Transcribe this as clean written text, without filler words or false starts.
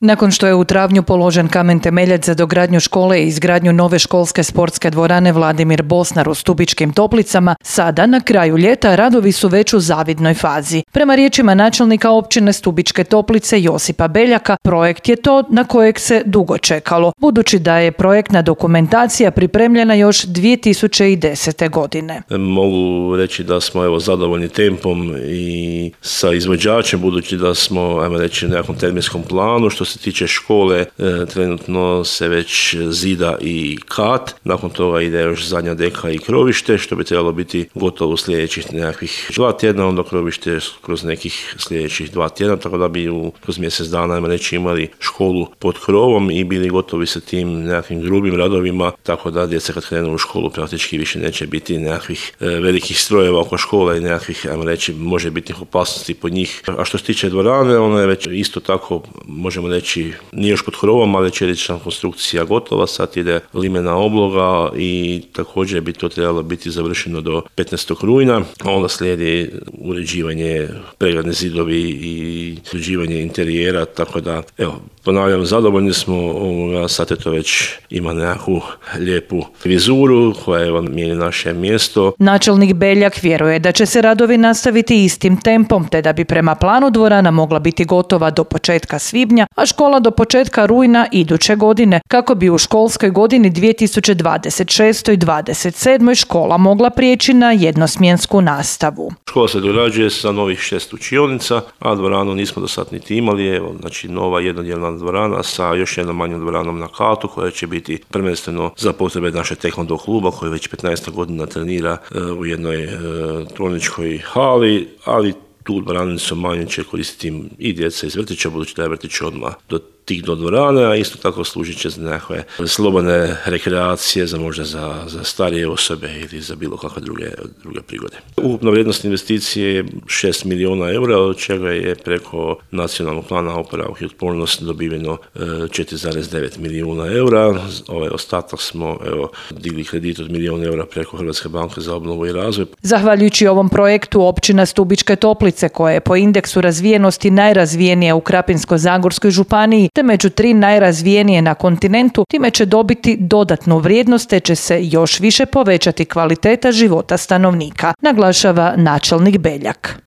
Nakon što je u travnju položen kamen temeljac za dogradnju škole i izgradnju nove školske sportske dvorane Vladimir Bosnar u Stubičkim Toplicama, sada na kraju ljeta radovi su već u zavidnoj fazi. Prema riječima načelnika općine Stubičke Toplice Josipa Beljaka, projekt je to na kojeg se dugo čekalo, budući da je projektna dokumentacija pripremljena još 2010. godine. Mogu reći da smo zadovoljni tempom i sa izvođačem, budući da smo, ajmo reći, na nekom terminskom planu. Što se tiče škole, trenutno se već zida i kat, nakon toga ide još zadnja deka i krovište, što bi trebalo biti gotovo u sljedećih nekakvih 2 tjedna, onda krovište kroz nekih sljedećih 2 tjedna, tako da bi kroz mjesec dana, ajmo reći, imali školu pod krovom i bili gotovi sa tim nekakvim grubim radovima, tako da djeca kad krenu u školu praktički više neće biti nekakvih velikih strojeva oko škole i nekakvih, ajmo reći, možebitnih opasnosti pod njih. A što se tiče dvorane, ona je već isto tako, možemo reći, nije još pod krovom, ali čelična konstrukcija gotova, sad ide limena obloga i također bi to trebalo biti završeno do 15. rujna, a onda slijedi uređivanje, pregradni zidovi i uređivanje interijera, tako da, ponavljam, zadovoljni smo, sad je to već ima nekakvu lijepu vizuru koja je naše mjesto. Načelnik Beljak vjeruje da će se radovi nastaviti istim tempom, te da bi prema planu dvorana mogla biti gotova do početka svibnja, a škola do početka rujna iduće godine, kako bi u školskoj godini 2026. i 2027. škola mogla prijeći na jednosmjensku nastavu. Škola se dorađuje sa novih 6 učionica, a dvoranu nismo do sad niti imali. Znači nova jednodjelna dvorana sa još jednom manjom dvoranom na katu koja će biti prvenstveno za potrebe naše taekwondo kluba koji već 15 godina trenira u jednoj tvorničkoj hali, ali tu dvoranicu manje će koristiti i djeca iz vrtića, budući da je vrtić odmah do dvorane, a isto tako služit će za nekakve slobodne rekreacije, možda za starije osobe ili za bilo kakve druge prigode. Ukupna vrijednost investicije je 6 milijuna eura, od čega je preko nacionalnog plana oporavka i otpornosti dobiveno 4,9 milijuna eura. Ostatak smo digli kredit od milijun eura preko Hrvatske banke za obnovu i razvoj. Zahvaljujući ovom projektu općina Stubičke Toplice, koja je po indeksu razvijenosti najrazvijenija u Krapinsko-zagorskoj županiji, te među 3 najrazvijenije na kontinentu, time će dobiti dodatnu vrijednost te će se još više povećati kvaliteta života stanovnika, naglašava načelnik Beljak.